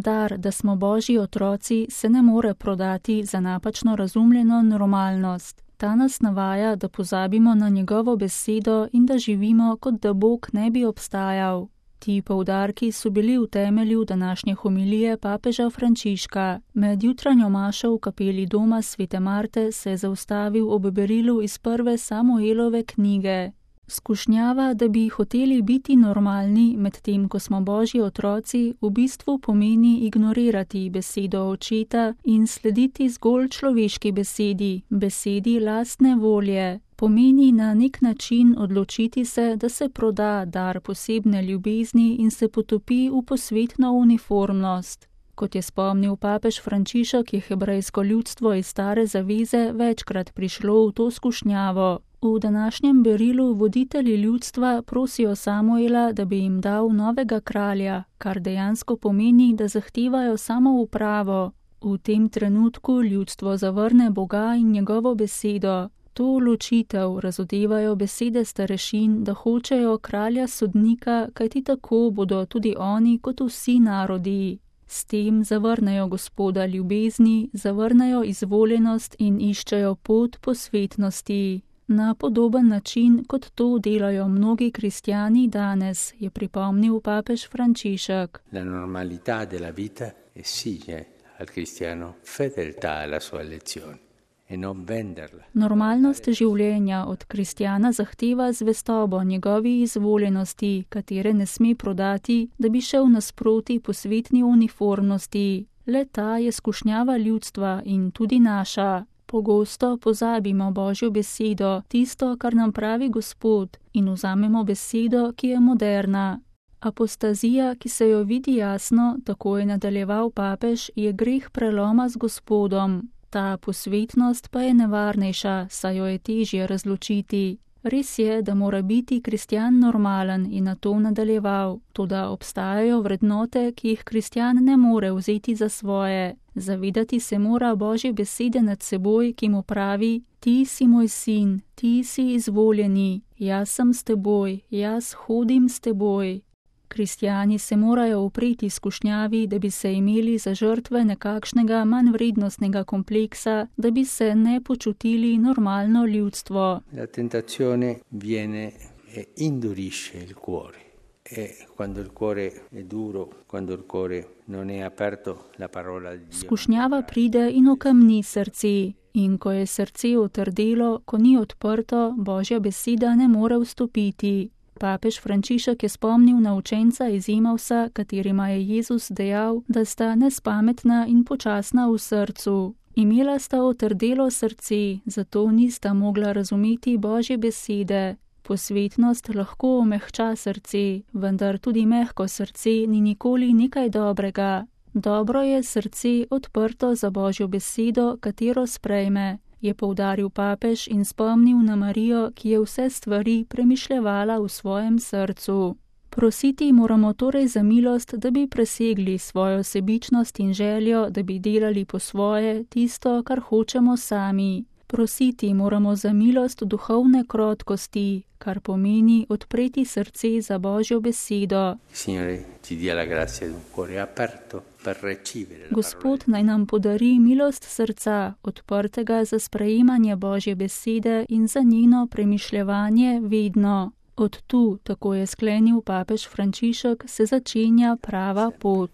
Dar, da smo Božji otroci, se ne more prodati za napačno razumljeno normalnost. Ta nas navaja, da pozabimo na njegovo besedo in da živimo, kot da Bog ne bi obstajal. Ti poudarki so bili v temelju današnje homilije papeža Frančiška. Med jutranjo mašo v kapeli doma Svete Marte se je zaustavil ob berilu iz prve Samuelove knjige. Skušnjava, da bi hoteli biti normalni, medtem ko smo Božji otroci, v bistvu pomeni ignorirati besedo očeta in slediti zgolj človeški besedi, besedi lastne volje. Pomeni na nek način odločiti se, da se proda dar posebne ljubezni in se potopi v posvetno uniformnost. Kot je spomnil papež Frančišek, je hebrejsko ljudstvo iz Stare zaveze večkrat prišlo v to skušnjavo. V današnjem berilu voditelji ljudstva prosijo Samuela, da bi jim dal novega kralja, kar dejansko pomeni, da zahtevajo samoupravo. V tem trenutku ljudstvo zavrne Boga in njegovo besedo. To ločitev razodevajo besede starešin, da hočejo kralja sodnika, kajti tako bodo tudi oni kot vsi narodi. S tem zavrnejo Gospoda ljubezni, zavrnejo izvoljenost in iščejo pot posvetnosti. Na podoben način, kot to delajo mnogi kristjani danes, je pripomnil papež Frančišek. La normalità della vita esige al cristiano fedeltà alla sua elezione. Normalnost življenja od kristjana zahteva zvestobo njegovi izvoljenosti, katere ne sme prodati, da bi šel nasproti posvetni uniformnosti. Le ta je skušnjava ljudstva in tudi naša. Pogosto pozabimo Božjo besedo, tisto, kar nam pravi Gospod, in vzamemo besedo, ki je moderna. Apostazija, ki se jo vidi jasno, tako je nadaljeval papež, je greh preloma z Gospodom. Ta posvetnost pa je nevarnejša, saj jo je težje razločiti. Res je, da mora biti kristjan normalen in na to nadaljeval, toda obstajajo vrednote, ki jih kristjan ne more vzeti za svoje. Zavedati se mora Božje besede nad seboj, ki mu pravi: Ti si moj sin, ti si izvoljeni, jaz sem s teboj, jaz hodim s teboj. Kristjani se morajo upreti skušnjavi, da bi se imeli za žrtve nekakšnega manjvrednostnega kompleksa, da bi se ne počutili normalno ljudstvo. La tentazione viene e indurisce il cuore. E quando il cuore è duro, quando il cuore non è aperto, la parola di Dio. Skušnjava pride in okamni srce. In ko je srce otrdelo, ko ni odprto, Božja beseda ne more vstopiti. Papež Frančišek je spomnil na učenca iz Emausa, katerima je Jezus dejal, da sta nespametna in počasna v srcu. Imela sta otrdelo srce, zato nista mogla razumeti Božje besede. Posvetnost lahko omehča srce, vendar tudi mehko srce ni nikoli nekaj dobrega. Dobro je srce odprto za Božjo besedo, katero sprejme, je poudaril papež in spomnil na Marijo, ki je vse stvari premišljevala v svojem srcu. Prositi moramo torej za milost, da bi presegli svojo sebičnost in željo, da bi delali po svoje tisto, kar hočemo sami. Prositi moramo za milost duhovne krotkosti, kar pomeni odpreti srce za Božjo besedo. Gospod naj nam podari milost srca, odprtega za sprejemanje Božje besede in za njeno premišljevanje vedno. Od tu, tako je sklenil papež Frančišek, se začenja prava pot.